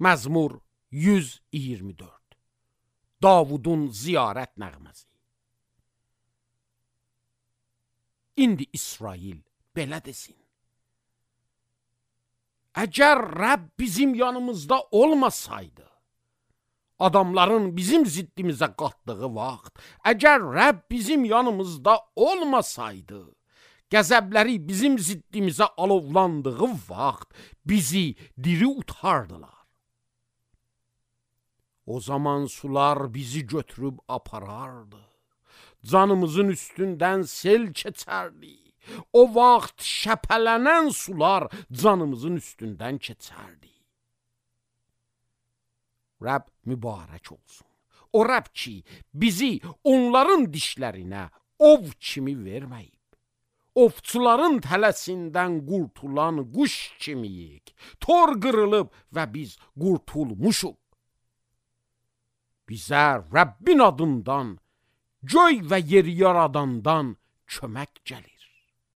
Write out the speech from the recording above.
Məzmur 124. Davudun ziyarət nəğməsi. İndi İsrail belə desin. Əgər Rəbb bizim yanımızda olmasaydı, adamların bizim ziddimizə qatdığı vaxt, əgər Rəbb bizim yanımızda olmasaydı, qəzəbləri bizim ziddimizə alovlandığı vaxt bizi diri utardılar. O zaman sular bizi götürüb aparardı. Canımızın üstündən sel keçərdi. O vaxt şəpələnən sular canımızın üstündən keçərdi. Rəbb mübarək olsun. O Rəbb ki, bizi onların dişlərinə ov kimi verməyib. Ovçuların tələsindən qurtulan quş kimiyik. Tor qırılıb və biz qurtulmuşuq. Bizə Rəbbin adından, göy və yeri yaradandan kömək gəlir.